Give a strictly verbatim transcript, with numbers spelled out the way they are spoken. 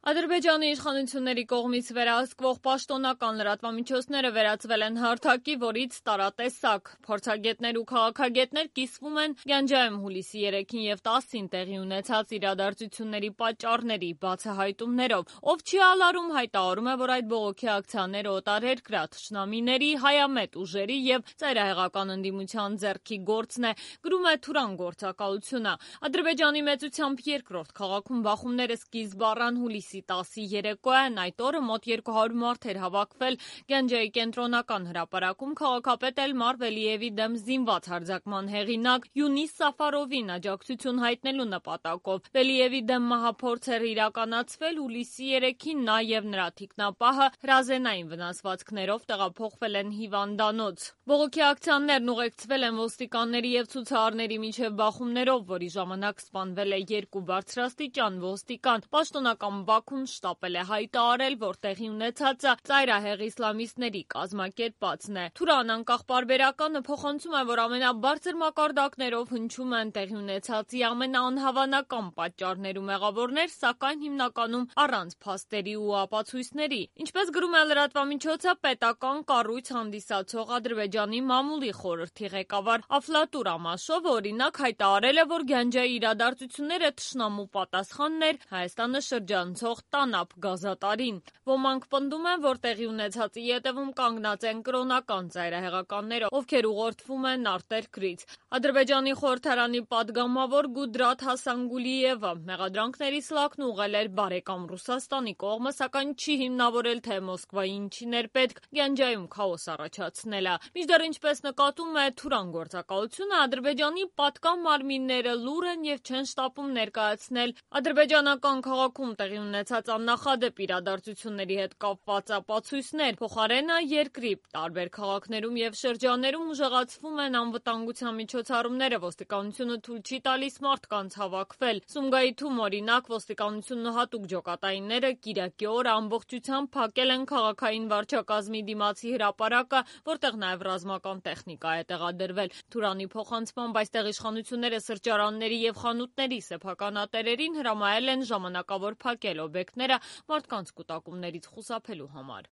Ադրբեջանի իշխանությունների կողմից վերահսկվող պաշտոնական լրատվամիջոցները վերածվել են հարթակի, որից տարատեսակ։ Փորձագետներ ու քաղաքագետներ կիսվում են Գանջայում հուլիսի երեքին և տասին տեղի ունեցած իրադարձությունների պատճառների բացահայտումներով։ Ով չի ալարում, հայտարարում է, որ այդ բողոքի ակցիաները օտարերկրյա թշնամիների, հայամետ ուժերի և ծայրահեղական ընդդիմության ձեռքի գործն է, գրում է Թուրան գործակալությունը։ Ադրբեջանի մեծությամբ երկրորդ քաղաքում բախումները սկիզբ առան հուլիսի տասի երեկոյան, այդ օրը մոտ երկու հարյուր մարդ էր հավաքվել Գանջայի կենտրոնական հրապարակում քաղաքապետ Էլմար Վելիևի դեմ զինված հարձակման հեղինակ Յունիս Սաֆարովին աջակցություն հայտնելու նպատակով։ Վելիևի դեմ մահափորձ էր իրականացվել հուլիսի երեքին, նա և նրա թիկնապահը հրազենային վնասվածքներով տեղափոխվել են հիվանդանոց։ Բողոքի ակցիաներն ուղեկցվել են ոստիկանների և ցուցարարների միջև բախումներով, որի ժամանակ սպանվել է երկու բարձրաստիճան ոստիկան։ Պաշտոնական Բաքուն շտապել է հայտարարել, որ տեղի ունեցածը ծայրահեղ իսլամիստների կազմակերպածն է։ Թուրան անկախ պարբերականը փոխանցում է, որ ամենաբարձր մակարդակներով հնչում են տեղի ունեցածի ամենաանհավանական պատճառներ ու մեղավորներ, սակայն հիմնականում առանց փաստերի ու ապացույցների։ Ինչպես գրում է լրատվամիջոցը, պետական կառույց հանդիսացող Ադրբեջանի մամուլի խորհրդի ղեկավար Աֆլատուր Ամաշովը օրինակ հայտարարել է, որ Գանջայի իրադարձությունները թշնամու պատասխանն էր Հայաստանը շրջանցող ՏԱՆԱՊ գազատարին։ Ոմանք պնդում են, որ տեղի ունեցածի ետևում կանգնած են կրոնական ծայրահեղականները, ովքեր ուղղորդվում են արտերկրից։ Ադրբեջանի խորհրդարանի պատգամավոր Գուդրաթ Հասանգուլիևը մեղադրանքների սլաքն ուղղել էր բարեկամ Ռուսաստանի կողմը, սակայն չի հիմնավորել, թե Մոսկվային ինչին էր պետք Գանջայում քաոս առաջացնելը։ Մինչդեռ, ինչպես նկատում է Թուրան գործակալությունը, Ադրբեջանի պատկան մարմինները լուռ են և չեն շտապում ներկայացնել ադրբեջանական քաղաքում տեղի ունեցած աննախադեպ իրադարձությունների հետ կապված ապացույցներ։ Փոխարենը երկրի տարբեր քաղաքներում և շրջաններում ուժեղացվում են անվտանգության միջոցառումները, ոստիկանությունը թույլ չի տալիս մարդկանց հավաքվել։ Սումգայիթում, օրինակ, ոստիկանությունն ու հատուկ ջոկատայինները կիրակի օրը ամբողջությամբ փակել են քաղաքային վարչակազմի դիմացի հրապարակը, որտեղ նաև ռազմական տեխնիկա է տեղադրվել։ Թուրանի փոխանցմամբ այստեղ իշխանությունները սրճարանների և խանութների սեփականատերերին հրամայել են ժամանակավոր փակել օբյեկտները մարդկանց կուտակումներից խուսափելու համար։